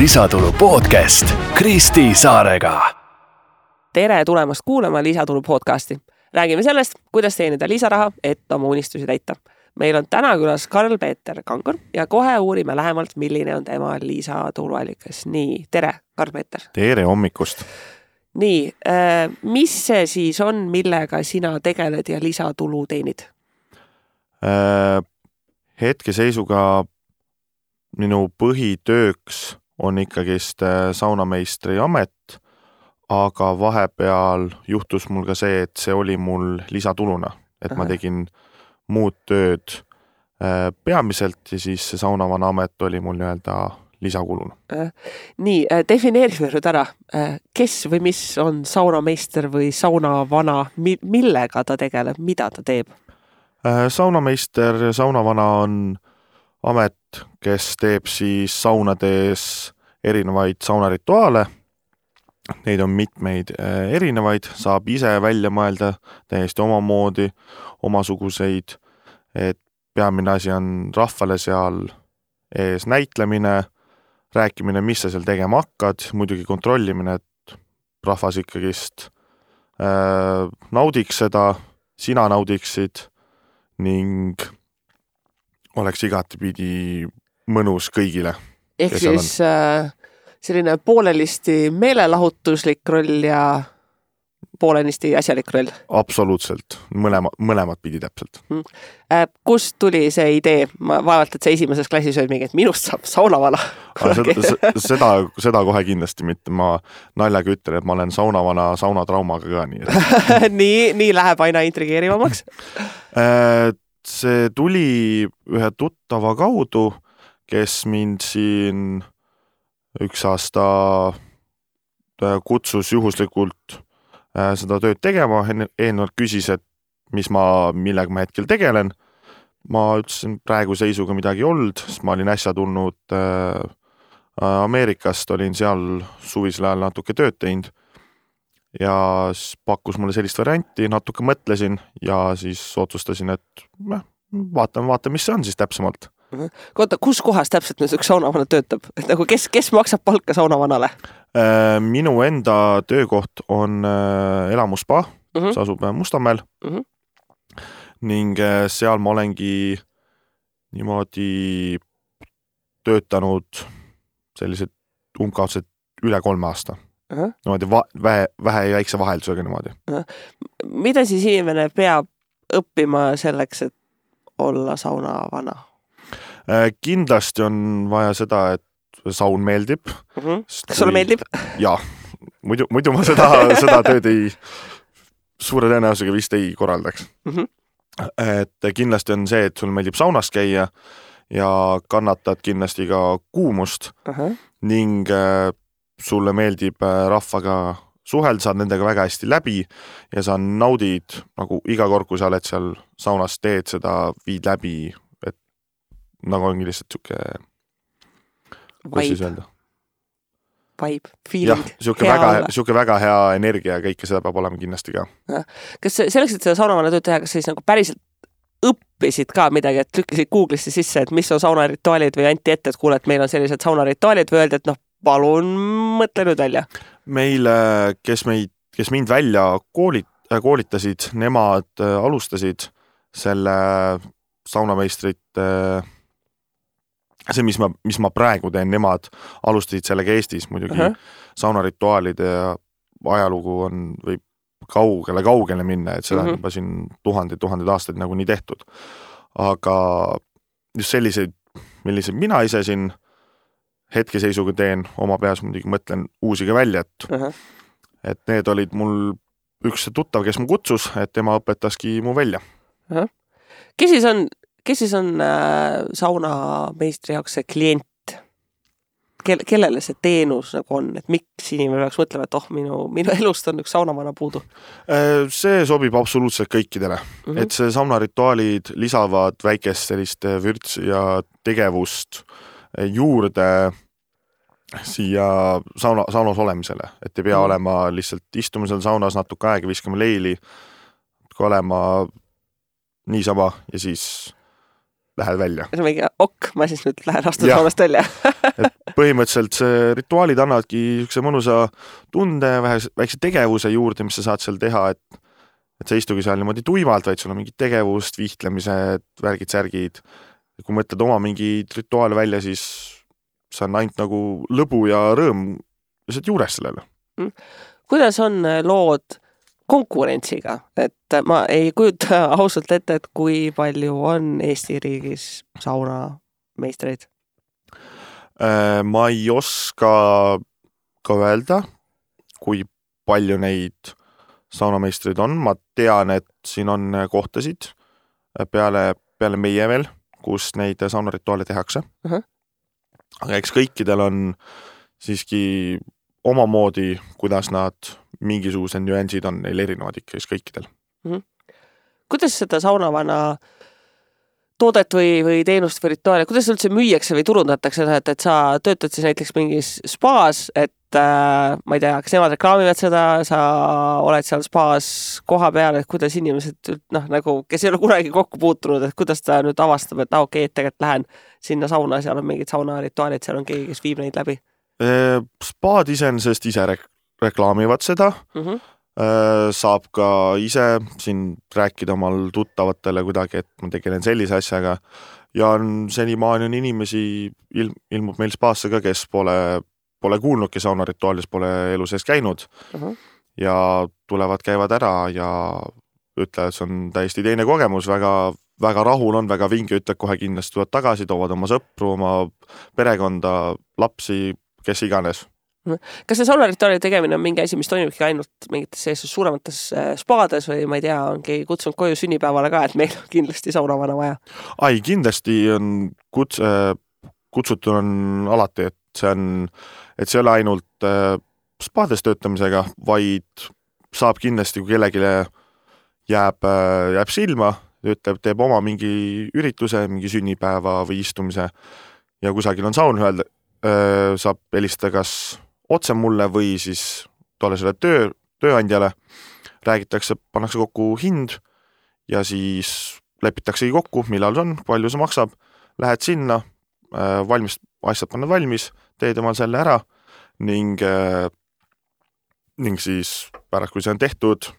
Lisatulu podcast Kristi Saarega. Tere tulemast kuulama Lisatulu podcasti. Räägime sellest, kuidas teenida lisaraha, et oma unistusi täita. Meil on täna külas Karl-Peeter Kangur ja kohe uurime lähemalt, milline on tema lisatuluallikas. Nii, tere Karl-Peeter. Tere hommikust. Nii, mis see siis on, millega sina tegeled ja lisatulu teenid? Hetkeseisuga minu põhitööks on ikkagist saunameistri amet, aga vahepeal juhtus mul ka see, et see oli mul lisatuluna, et ma tegin muud tööd peamiselt ja siis see saunavana amet oli mul nii-öelda lisakuluna. Nii, defineerime nüüd ära, kes või mis on saunameister või saunavana, millega ta tegeleb, mida ta teeb? Saunameister ja saunavana on amet, kes teeb siis saunades erinevaid saunarituaale. Neid on mitmeid erinevaid, saab ise välja mõelda täiesti omamoodi, omasuguseid, et peamine asi on rahvale seal ees näitlemine, rääkimine, mis sa seal tegema hakkad, muidugi kontrollimine, et rahvas ikkagist naudiks seda, sina naudiksid ning oleks igatepidi mõnus kõigile. Ehk siis selline poolelisti meelelahutuslik roll ja poolenisti asjalik roll? Absoluutselt, mõlemad pidi täpselt. Kust tuli see idee? Ma vaevalt, et see esimeses klassis oli mingi, et minust saab saunavana. Seda kohe kindlasti mitte. Ma naljaga ütlen, et ma olen saunavana saunatraumaga ka nii. nii läheb aina intrigeerivamaks? See tuli ühe tuttava kaudu, kes mind siin üks aasta kutsus juhuslikult seda tööd tegema, eelnevalt küsis, et millega ma hetkel tegelen. Ma ütlesin, praegu seisuga midagi olnud, sest ma olin äsja tulnud Ameerikast, olin seal suvisel ajal natuke tööd teinud ja pakkus mulle sellist varianti, natuke mõtlesin ja siis otsustasin, et vaatan, mis see on siis täpsemalt. Koota, kus kohas täpselt nüüd üks saunavana töötab? Et nagu kes maksab palka saunavanale? Minu enda töökoht on elamuspa, see asub Mustamäel ning seal ma olengi niimoodi töötanud sellised umbkaudselt üle 3 aasta. Niimoodi vähe ja väikse vaheldusega niimoodi. Mida siis inimene peab õppima selleks, et olla saunavana? Kindlasti on vaja seda, et saun meeldib. Kas sulle meeldib? Jaa, muidu ma seda tööd suure tõenäosusega vist ei korraldaks. Et kindlasti on see, et sul meeldib saunas käia ja kannatad kindlasti ka kuumust ning sulle meeldib rahvaga suhelda, saad nendega väga hästi läbi ja sa naudid nagu iga kord, kui sa oled seal saunas teed seda, viid läbi, et nagu ongi lihtsalt vibe, feeling. Jah, siuke väga hea energia ja kõike seda peab olema kindlasti ka. Kas selleks, et seda saunavana tööd teha, kas siis nagu päriselt õppisid ka midagi, et lükkisid Google'isse sisse, et mis on saunarituaalid või anti ette, et kuule, et meil on sellised saunarituaalid või öeldi, et palun mõtle nüüd välja. Meil, kes mind välja koolitasid, nemad alustasid selle saunameistrit, see, mis ma praegu teen, nemad alustasid sellega Eestis muidugi. Saunarituaalide ajalugu on või kaugele minna, et seda on juba siin tuhandeid aastaid nagu nii tehtud. Aga just selliseid, millised mina ise siin hetkeseisuga teen, oma peas muidugi mõtlen uusiga välja, et need olid mul üks tuttav, kes mu kutsus, et tema õpetaski mu välja. Kes siis on saunameistri jaoks see klient? Kellele see teenus nagu on? Et miks inimene peaks mõtlema, et minu elust on üks saunavana puudu? See sobib absoluutselt kõikidele. Et see saunarituaalid lisavad väikest sellist vürts ja tegevust juurde siia saunas olemisele, et ei pea olema lihtsalt istumisel saunas natuke aega, viskama leili, olema niisama ja siis lähed välja. See on mingi ma siis nüüd lähen astun saunast välja. Et põhimõtteliselt see rituaalid annavadki niisuguse mõnusa tunde, väikse tegevuse juurde, mis sa saad seal teha, et sa istugi seal niimoodi tuimalt, vaid sul on mingid tegevust, vihtlemised, värgid, särgid. Kui mõtled oma mingid rituaale välja, siis see on ainult nagu lõbu ja rõõm lihtsalt juures sellele. Kuidas on lood konkurentsiga? Et ma ei kujuta ausalt ette, et kui palju on Eesti riigis saunameistreid? Ma ei oska ka öelda, kui palju neid saunameistreid on. Ma tean, et siin on kohtasid peale meie veel, kus neid saunarituaale tehakse. Aga eks kõikidel on siiski omamoodi, kuidas nad mingisugused nüansid on neil erinevad ikka kõikidel. Kuidas seda saunavana toodet või teenust või rituaali, kuidas üldse müüakse või turundatakse, et sa töötad siis näiteks mingis spaas, et ma ei tea, kas nemad reklaamivad seda, sa oled seal spaas koha peal, et kuidas inimesed, nagu, kes ei ole kunagi kokku puutunud, et kuidas ta nüüd avastab, et okei, et tegelikult lähen sinna sauna, seal on mingid saunarituaalid, seal on keegi, kes viib neid läbi? Spaad iseenesest ise reklaamivad seda, saab ka ise siin rääkida omal tuttavatele kuidagi, et ma tegelen sellise asjaga ja senimaani on inimesi, ilmub meil spaasse ka, kes pole kuulnudki saunarituaalis, pole elu sees käinud ja tulevad, käivad ära ja ütlevad, see on täiesti teine kogemus, väga rahul on, väga vinge, ütleb kohe kindlasti tulevad tagasi, toovad oma sõpru, oma perekonda, lapsi, kes iganes. Kas see saunarituaali tegemine on mingi asi, mis toimubki ainult mingites suuremates spaades või ma ei tea, ongi kutsunud koju sünnipäevale ka, et meil on kindlasti saunavana vaja? Kindlasti on kutsutud on alati, et see ei ole ainult spaades töötamisega, vaid saab kindlasti, kui kellelegi jääb silma, teeb oma mingi ürituse, mingi sünnipäeva või istumise ja kusagil on saun, saab helistada kas otse mulle või siis tolle selle tööandjale, räägitakse, pannakse kokku hind ja siis lepitaksegi kokku, millal see on, palju see maksab, lähed sinna, asjad pannad valmis, teed omal selle ära ning siis pärast, kui see on tehtud,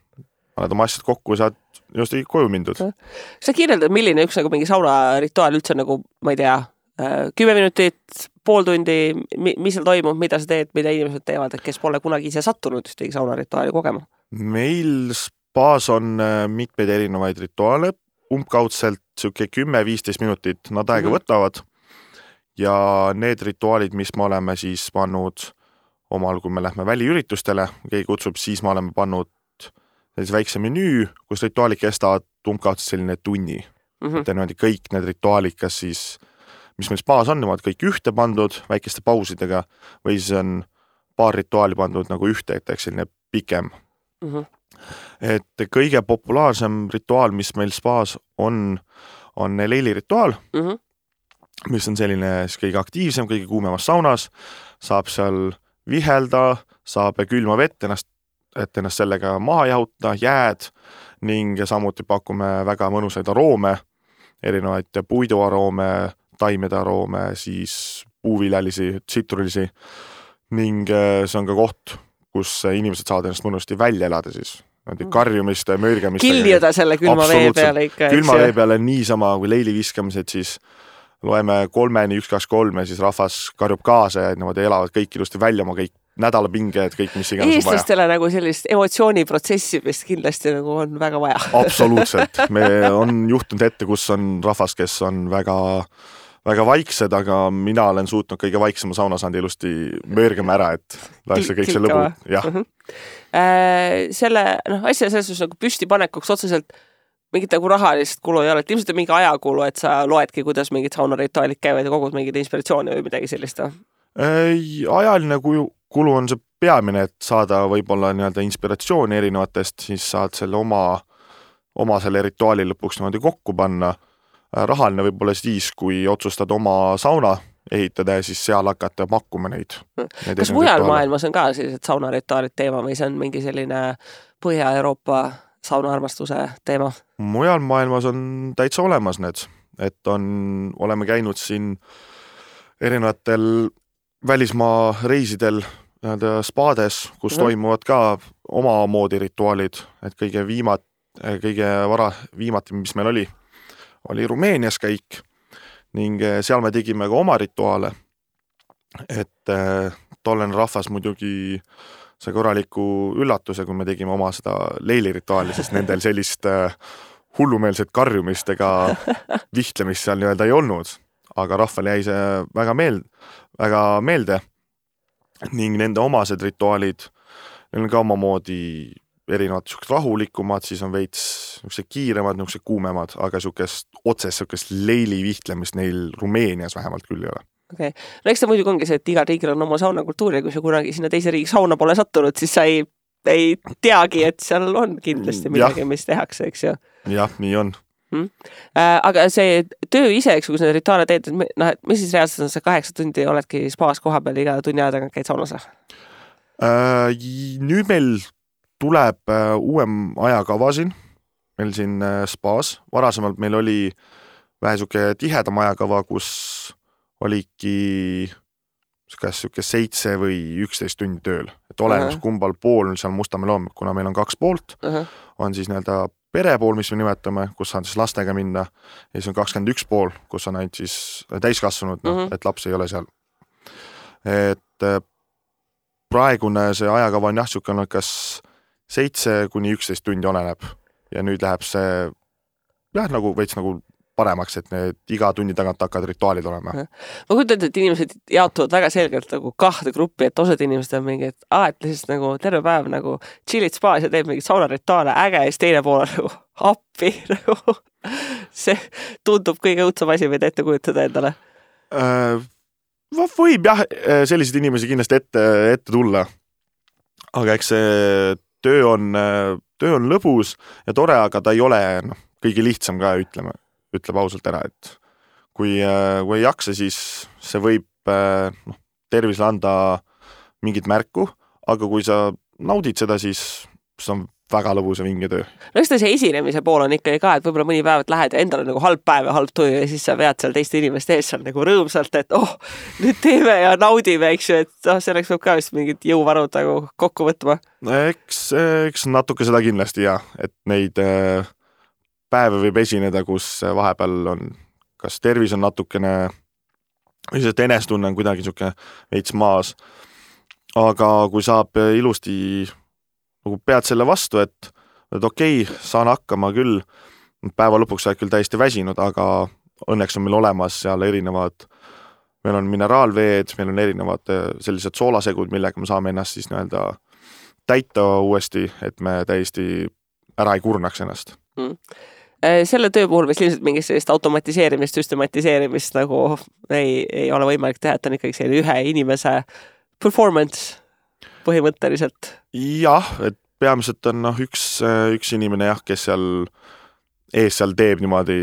paned oma asjad kokku ja saad just koju mindud. Sa kirjeldad, milline üks nagu mingi saunarituaal üldse nagu, ma ei tea, 10 minutit, pool tundi, mis seal toimub, mida sa teed, mida inimesed teevad, et kes pole kunagi ise sattunud ühtegi saunarituaali kogema? Meil spaas on mitmeid erinevaid rituaale, umbkaudselt 10-15 minutit nad aega võtavad ja need rituaalid, mis me oleme siis pannud omal, kui me lähme väliüritustele, keegi kutsub, siis me oleme pannud väikse menüü, kus rituaalid kestavad umbkaudselt selline tunni. Et kõik need rituaalid, kas siis mis meil spaas on, nemad kõik ühte pandud väikeste pausidega või siis on paar rituaali pandud nagu ühte, et selline pikem. Et kõige populaarsem rituaal, mis meil spaas on leili rituaal, mis on selline kõige aktiivsem, kõige kuumemas saunas, saab seal vihelda, saab külma vett, et ennast sellega maha jahuta, jääd ning samuti pakume väga mõnusaid aroome, erinevaid puiduaroome, taimede aroome, siis puuviljalisi, tsitrullisi ning see on ka koht, kus inimesed saavad ennast mõnusti välja elada siis. Karjumiste, möörgamiste. Kiljuda selle külma vee peale ikka. Külma vee peale niisama kui leili viskamised, siis loeme 3-ni, 1, 2, 3 ja siis rahvas karjub kaasa ja niimoodi elavad kõik ilusti välja oma kõik nädalapinged, kõik mis iganes on vaja. Eestlastele nagu sellist emotsiooniprotsessi, mis kindlasti nagu on väga vaja. Absoluutselt. Me on juhtunud ette, kus on rahvas, kes on väga vaiksed, aga mina olen suutnud kõige vaiksema saunasandi ilusti möörgama ära, et laisse kõik see lõbu. Jah. Selle asja selles nagu püstipanekuks otseselt mingit nagu rahalist kulu ei ole, et ilmselt on mingi ajakulu, et sa loedki, kuidas mingid saunarituaalid käivad ja kogud mingid inspiratsiooni või midagi sellist? Ajaline kulu on see peamine, et saada võib-olla inspiratsiooni erinevatest, siis saad selle oma selle rituaali lõpuks kokku panna. Rahaline võib-olla siis, kui otsustad oma sauna ehitada ja siis seal hakata pakkuma neid. Kas mujal maailmas on ka sellised saunarituaalid teema või see on mingi selline Põhja-Euroopa saunaarmastuse teema? Mujal maailmas on täitsa olemas need. et oleme käinud siin erinevatel välismaa reisidel spaades, kus toimuvad ka omamoodi rituaalid, et kõige viimati, mis meil oli Rumeenias käik ning seal me tegime ka oma rituaale, et tollen rahvas muidugi sai korraliku üllatuse, kui me tegime oma seda leilirituaali, sest nendel sellist hullumeelset karjumist ega vihtlemist seal nii-öelda ei olnud, aga rahval jäi see väga meelde ning nende omased rituaalid, neil on ka omamoodi erinevad rahulikumad, siis on veits kiiremad, kuumemad, aga otsest leili vihtlemist neil Rumeenias vähemalt küll ei ole. Okay. No eks ta muidugi ongi see, et igal riigil on oma saunakultuur ja kui sa kunagi sinna teise riigi sauna pole sattunud, siis sa ei teagi, et seal on kindlasti midagi, mis tehakse, eks ju. Jah, nii on. Aga see töö ise, eks kui sa need rituaale teed, et mis siis reaalselt on see 8 tundi oledki spaas koha peal iga tunni aja tagant käid saunas? Nüüd meil tuleb uuem ajakava siin, meil siin spaas. Varasemalt meil oli vähe tihedam ajakava, kus oligi 7 või 11 tundi tööl. Et olemas kumbal pool seal Mustamäel on, kuna meil on 2 poolt, on siis nii-öelda perepool, mis me nimetame, kus saan siis lastega minna, ja siis on 21 pool, kus on ainult siis täiskasvanud, et laps ei ole seal. Et praegune see ajakava on jah, kas 7 kuni 11 tundi oleneb ja nüüd läheb see nagu veits nagu paremaks, et need iga tunni tagant hakkavad rituaalid olema. Ma kujutan, et inimesed jaotuvad väga selgelt nagu 2 gruppi, et osad inimesed on mingi, et lihtsalt nagu terve päev nagu chillid spaas ja teeb mingit saunarituaale äge ja siis teine pool on nagu appi. Nagu. See tundub kõige õudsam asi, mida ette kujutada endale. Võib jah, selliseid inimesi kindlasti ette tulla. Aga eks see töö on lõbus ja tore, aga ta ei ole kõige lihtsam ka, ütleb ausalt ära, et kui ei jaksa, siis see võib tervisele anda mingit märku, aga kui sa naudid seda, siis see on väga lõbus ja vinge töö. No eks ta see esinemise pool on ikkagi ka, et võib-olla mõni päev lähed ja endal on nagu halb päev ja halb töö ja siis sa vead seal teiste inimeste ees seal nagu rõõmsalt, et nüüd teeme ja naudime, eks ju, et selleks võib ka vist mingid jõuvarud nagu kokku võtma. Eks natuke seda kindlasti jah, et neid päeve võib esineda, kus vahepeal on, kas tervis on natukene, või see enestunne on kuidagi veits maas, aga kui saab ilusti nagu pead selle vastu, et okei, saan hakkama küll, päeva lõpuks oled küll täiesti väsinud, aga õnneks on meil olemas seal erinevad, meil on mineraalveed, meil on erinevad sellised soolasegud, millega me saame ennast siis nii-öelda täita uuesti, et me täiesti ära ei kurnaks ennast. Selle töö puhul vist ilmselt mingist sellist automatiseerimist, süstematiseerimist nagu ei ole võimalik teha, et on ikkagi selline ühe inimese performance põhimõtteliselt. Jah, et peamiselt on üks inimene jah, kes seal teeb niimoodi,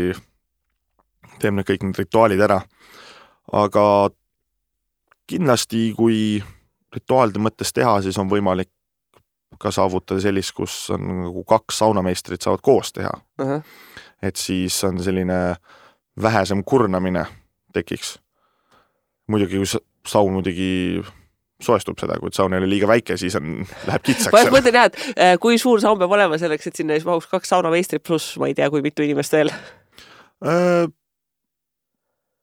teeb need kõik need rituaalid ära. Aga kindlasti, kui rituaalide mõttes teha, siis on võimalik ka saavutada sellist, kus on nagu 2 saunameistrit saavad koos teha. Et siis on selline vähesem kurnamine tekiks. Muidugi, kui saun muidugi soestub seda, kui saun ei ole liiga väike, siis läheb kitsaks. Ma mõtlen jah, et kui suur saun peab olema selleks, et sinna siis mahuks 2 saunameistrit pluss, ma ei tea, kui mitu inimest veel?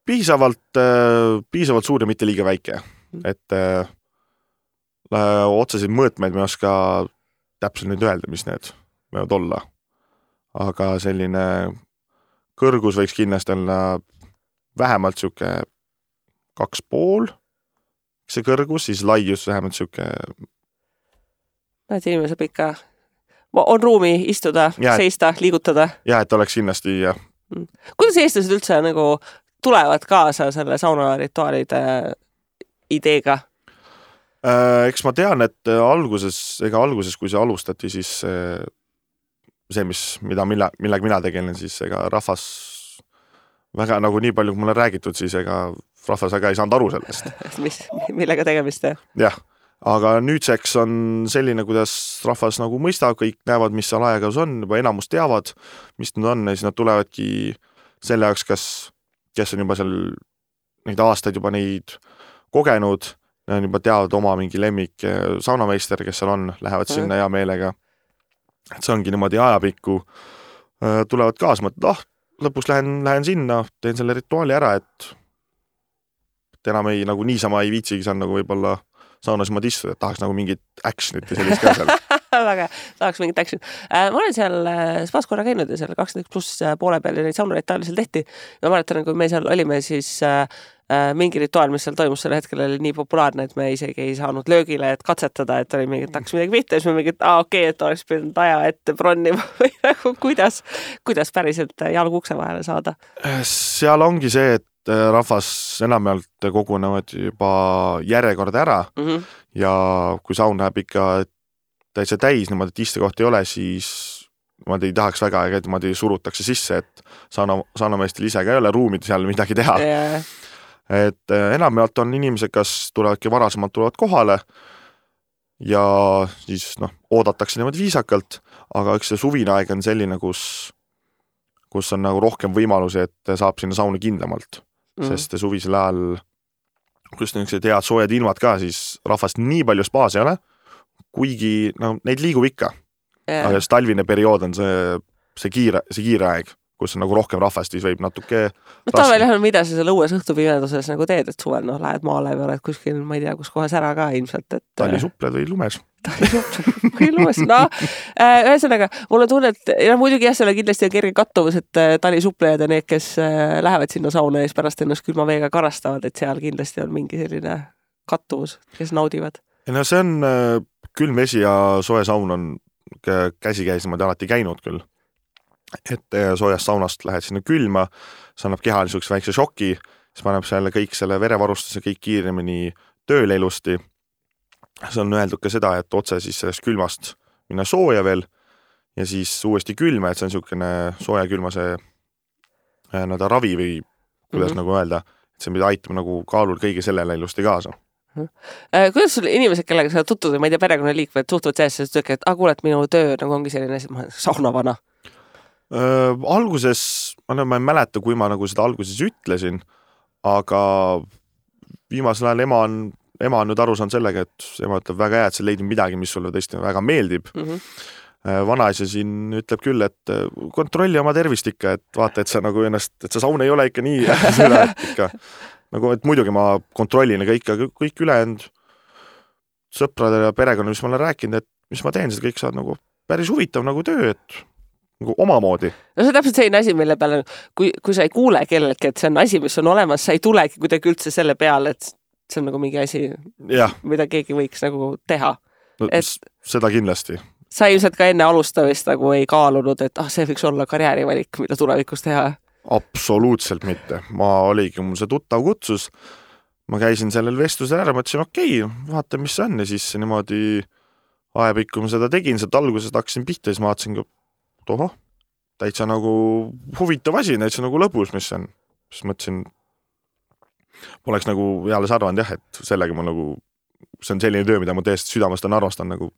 Piisavalt suur ja mitte liiga väike. Et otsesid mõõtmeid me oska täpselt nüüd öelda, mis need võivad olla. Aga selline kõrgus võiks kindlasti olla vähemalt 2,5 see kõrgus, siis laius vähemalt et inimene saab ikka on ruumi istuda, seista, liigutada. Ja, et oleks kindlasti jah. Kuidas eestlased üldse nagu tulevad kaasa selle saunarituaalide ideega? Eks ma tean, et alguses, kui see alustati, siis see, millega mina tegelen, siis ega rahvas väga nagu nii palju, kui mulle räägitud, siis ega rahvas väga ei saanud aru sellest. Millega tegemist? Jah, aga nüüdseks on selline, kuidas rahvas nagu mõistab, kõik näevad, mis seal ajagas on, juba enamus teavad, mis need on, ja siis nad tulevadki selle jaoks, kes on juba seal neid aastaid juba neid kogenud, juba teavad oma mingi lemmik saunameister, kes seal on, lähevad sinna hea meelega. Et see ongi niimoodi ajapikku, tulevad kaasa, mõtled, lõpus lähen sinna, teen selle rituaali ära, et enam ei, nagu niisama ei viitsigi seal nagu võib-olla saunas niimoodi istuda, et tahaks nagu mingit actionit ja sellist ka seal. Väga, tahaks mingit action. Ma olen seal spaas korra käinud ja seal 21+ poole peal ja neid saunareitaali seal tehti. Ma mäletan, kui me seal olime, siis mingi rituaal, mis seal toimus selle hetkel oli nii populaarne, et me isegi ei saanud löögile, et katsetada, et oli mingi, et hakkas midagi pihta ja siis me mingi, et oleks pidanud aja ette bronnima või nagu kuidas päriselt jalgu ukse vahele saada? Seal ongi see, et rahvas enamjaolt kogunevad juba järjekorda ära ja kui saun läheb ikka täitsa täis, niimoodi, et istekoht ei ole, siis ma ei tahaks väga, et niimoodi surutakse sisse, et saunameestel ise ka ei ole ruumid seal midagi teha. Yeah. Et enamjaolt on inimesed, kas tulevadki varasemalt tulevad kohale ja siis oodatakse niimoodi viisakalt, aga üks see suvine aeg on selline, kus on nagu rohkem võimalusi, et saab sinna sauni kindlamalt, sest suvisel ajal, kus niisugused head soojad ilmad ka, siis rahvast nii palju spaas ei ole, kuigi neid liigub ikka. Yeah. Aga talvine periood on see kiire aeg, kus on nagu rohkem rahvast, siis võib natuke talvel on, mida sa seal õues õhtupimeduses nagu teed, et suvel lähed maale või oled kuskil, ma ei tea, kus kohas ära ka ilmselt, et talisupled või lumes. Talisupled või lumes, ühesõnaga, mul on tunne, et muidugi jah, seal kindlasti on kerge kattuvus, et talisuplejad ja need, kes lähevad sinna sauna ees pärast ennast külma veega karastavad, et seal kindlasti on mingi selline kattuvus, kes naudivad. Ja see on külm vesi ja soe saun on käsikäis niimoodi alati käinud küll. Et soojast saunast lähed sinna külma, see annab kehal niisuguse väikse šoki, siis paneb selle kõik selle verevarustuse kõik kiiremini tööle ilusti. See on öeldud ka seda, et otse siis sellest külmast minna sooja veel ja siis uuesti külma, et see on niisugune sooja külma see ravi või kuidas nagu öelda, et see mida aitab nagu kaalul kõige sellele ilusti kaasa. Kuidas sul inimesed, kellega sa tutvud, ma ei tea, perekonnaliikmed suhtuvad sellest, et kuule, et minu töö nagu ongi selline, et ma olen saunavana? Alguses, ma ei mäleta, kui ma nagu seda alguses ütlesin, aga viimasel ajal ema on nüüd aru saanud sellega, et ema ütleb väga hea, et sa leidnud midagi, mis sulle tõesti väga meeldib. Vanaisa siin ütleb küll, et kontrolli oma tervist ikka, et vaata, et sa nagu ennast, et sa saun ei ole ikka nii ikka. Nagu, et muidugi ma kontrollin kõik ülejäänud sõpradele ja perekonna, mis ma olen rääkinud, et mis ma teen, seda kõik saad nagu päris huvitav nagu töö, et nagu omamoodi. No see on täpselt selline asi, mille peale, kui sa ei kuule kellelgi, et see on asi, mis on olemas, sa ei tulegi kuidagi üldse selle peale, et see on nagu mingi asi, mida keegi võiks nagu teha. No, seda kindlasti. Sa ilmselt ka enne alustamist nagu ei kaalunud, et see võiks olla karjäärivalik, mida tulevikus teha? Absoluutselt mitte. Ma oligi, mul see tuttav kutsus, ma käisin sellel vestlusel ära, mõtlesin, okei, vaata, mis see on ja siis niimoodi ajapikku ma seda tegin, sealt algusest hakkasin pihta ja siis ma vaatasin täitsa nagu huvitav asi, täitsa nagu lõbus, mis on. Siis mõtlesin, poleks nagu jälle arvanud jah, et sellega ma nagu, see on selline töö, mida ma tõesti südamest on arvastan nagu.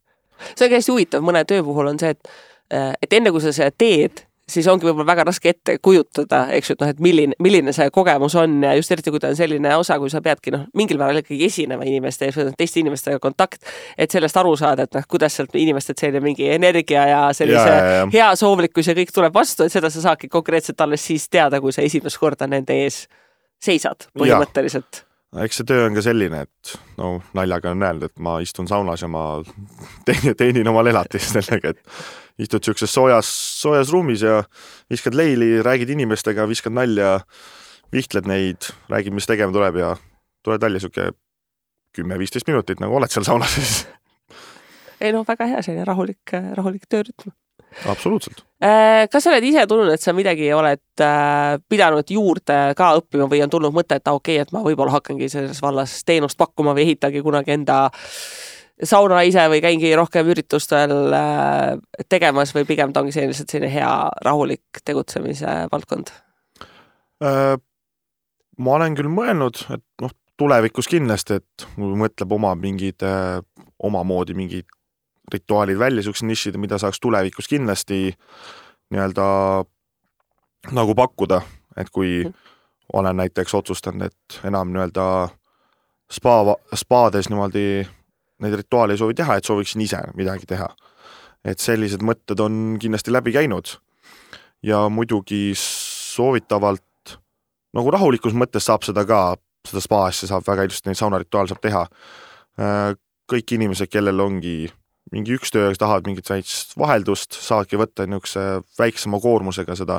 See on hästi huvitav, mõne töö puhul on see, et enne kui sa seda teed, siis ongi võib-olla väga raske ette kujutada, eks ju, et milline see kogemus on ja just eriti, kui ta on selline osa, kui sa peadki mingil määral ikkagi esinema inimeste ees, teiste inimestega kontakt, et sellest aru saada, et kuidas sealt inimesed selline mingi energia ja sellise hea soovlikkus ja kõik tuleb vastu, et seda sa saadki konkreetselt alles siis teada, kui sa esimest korda nende ees seisad põhimõtteliselt. Eks see töö on ka selline, et naljaga on öelnud, et ma istun saunas ja ma teenin omal elatist sellega, et istud siukses soojas ruumis ja viskad leili, räägid inimestega, viskad nalja, vihtled neid, räägid, mis tegema tuleb ja tuled välja siuke 10-15 minutit, nagu oled seal saunas. Ei väga hea, selline rahulik töörütm. Absoluutselt. Kas sa oled ise tulnud, et sa midagi oled pidanud juurde ka õppima või on tulnud mõte, et okei, et ma võib-olla hakkangi selles vallas teenust pakkuma või ehitagi kunagi enda sauna ise või käingi rohkem üritustel tegemas või pigem ta ongi selline hea rahulik tegutsemise valdkond? Ma olen küll mõelnud, et tulevikus kindlasti, et mõtleb omamoodi mingid rituaalid välja, siuksed nišid, mida saaks tulevikus kindlasti nii-öelda nagu pakkuda, et kui olen näiteks otsustanud, et enam nii-öelda spaades niimoodi neid rituaale ei soovi teha, et sooviksin ise midagi teha. Et sellised mõtted on kindlasti läbi käinud ja muidugi soovitavalt nagu rahulikus mõttes saab seda ka, seda spaassi saab väga ilusti, neid saunarituaal saab teha. Kõik inimesed, kellel ongi mingi üks töö, tahavad mingit väikest vaheldust, saadki võtta niisuguse väiksema koormusega seda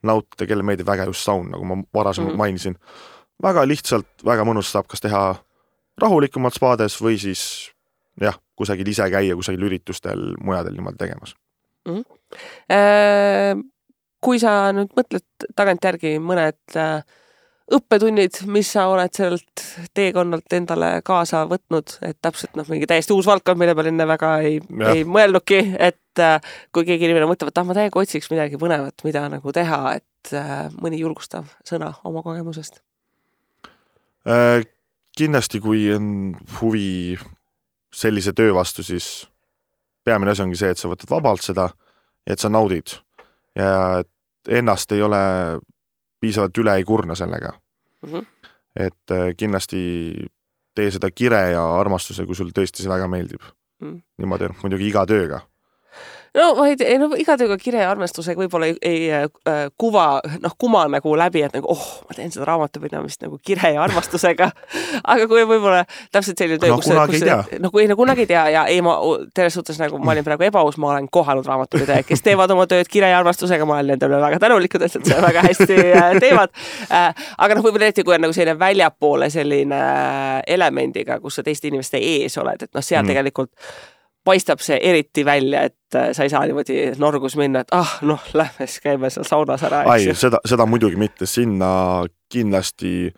nautida, kelle meeldib väga just saun, nagu ma varasemalt mainisin. Väga lihtsalt, väga mõnus saab kas teha rahulikumalt spaades või siis jah, kusagil ise käia, kusagil üritustel mujadel niimoodi tegemas. Kui sa nüüd mõtled tagantjärgi mõned õppetunnid, mis sa oled sellelt teekonnalt endale kaasa võtnud, et täpselt mingi täiesti uus valdkond, mille peal enne väga ei mõelnudki, et kui keegi inimene mõtleb, et ma täiega otsiks midagi põnevat, mida nagu teha, et mõni julgustav sõna oma kogemusest? Kindlasti, kui on huvi sellise töö vastu, siis peamine asi ongi see, et sa võtad vabalt seda ja et sa naudid ja et ennast ei ole piisavalt üle ei kurna sellega. Et kindlasti tee seda kire ja armastuse, kui sul tõesti see väga meeldib. Niimoodi muidugi iga tööga. Iga tööga kire ja armastusega võib-olla ei kuma nagu läbi, et nagu, ma teen seda raamatupidamist nagu kire ja armastusega. Aga kui võib-olla täpselt selline töö, kunagi ei tea ja ei, ma teres suhtes nagu ma olin praegu ebaus, ma olen kohanud raamatupidaja, kes teevad oma tööd kire ja armastusega, ma olen nendele väga tänulikud, et seda väga hästi teevad. Aga võib-olla eriti, kui on nagu selline väljapoole selline elemendiga, kus sa teiste inimeste ees oled, et seal tegelikult paistab see eriti välja, et sa ei saa niimoodi norgus minna, et lähme siis käime seal saunas ära. Seda muidugi mitte, sinna kindlasti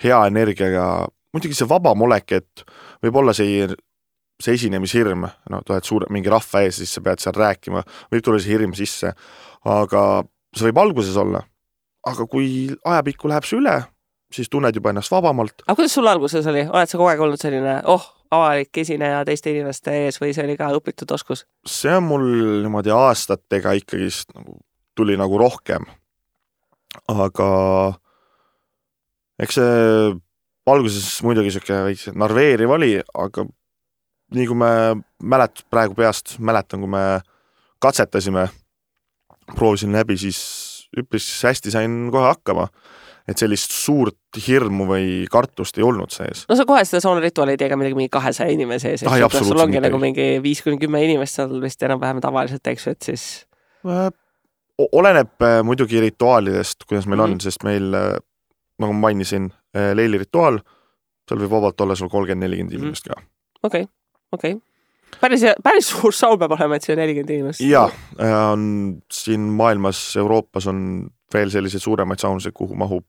hea energiaga, muidugi see vaba molek, et võib olla see esinemishirm, tuled mingi rahva ees, siis sa pead seal rääkima, võib tulla see hirm sisse, aga see võib alguses olla, aga kui ajapikku läheb see üle, siis tunned juba ennast vabamalt. Aga kuidas sul alguses oli? Oled sa kogu aeg olnud selline, avalik esineja teiste inimeste ees või see oli ka õpitud oskus? See on mul niimoodi aastatega ikkagi tuli nagu rohkem. Aga eks see alguses muidugi selline narveeriv oli, aga nii kui me praegu peast mäletan, kui me katsetasime, proovisin läbi, siis üpris hästi sain kohe hakkama. Et sellist suurt hirmu või kartust ei olnud sees. Sa kohe seda saunarituaali ei tee ka mingi 200 inimese sees. Sul ongi nagu mingi 5-10 inimest seal vist enam vähem tavaliselt, eks, et siis... Oleneb muidugi rituaalidest, kuidas meil on, sest meil, nagu ma mainisin, leili rituaal, seal võib vabalt olla sul 30-40 inimest ka. Okei. Päris suur saun peab olema, et see 40 inimest. Jaa, siin maailmas, Euroopas on veel selliseid suuremaid saunuseid, kuhu mahub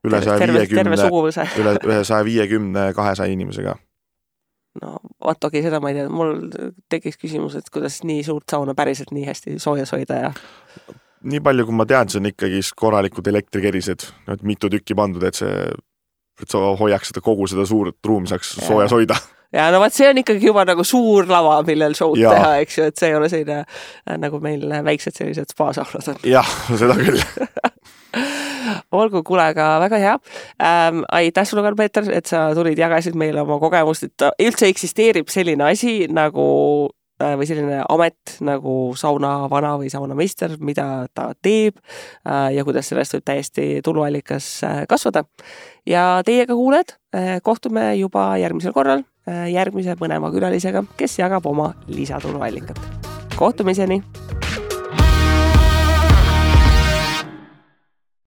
üle 150-200 inimesega. Seda ma ei tea. Mul tekkis küsimus, et kuidas nii suurt sauna päriselt nii hästi soojas hoida ja... Nii palju, kui ma tean, see on ikkagi korralikud elektrikerised, mitu tükki pandud, et sa hoiaks kogu seda suurt ruumi saaks soojas hoida. Ja see on ikkagi juba nagu suur lava, millel showd teha, eks ju, et see ei ole selline, nagu meil väiksed sellised spaasaunad on. Jah, seda küll. Olgu, kuule, aga väga hea. Aitäh sulle, Karl Peeter, et sa tulid, jagasid meile oma kogemust, et üldse eksisteerib selline asi nagu või selline amet nagu saunavana või saunameister, mida ta teeb ja kuidas sellest võib täiesti tuluallikas kasvada. Ja teiega kuuled, kohtume juba järgmisel korral järgmise põneva külalisega, kes jagab oma lisatuluallikat. Kohtumiseni!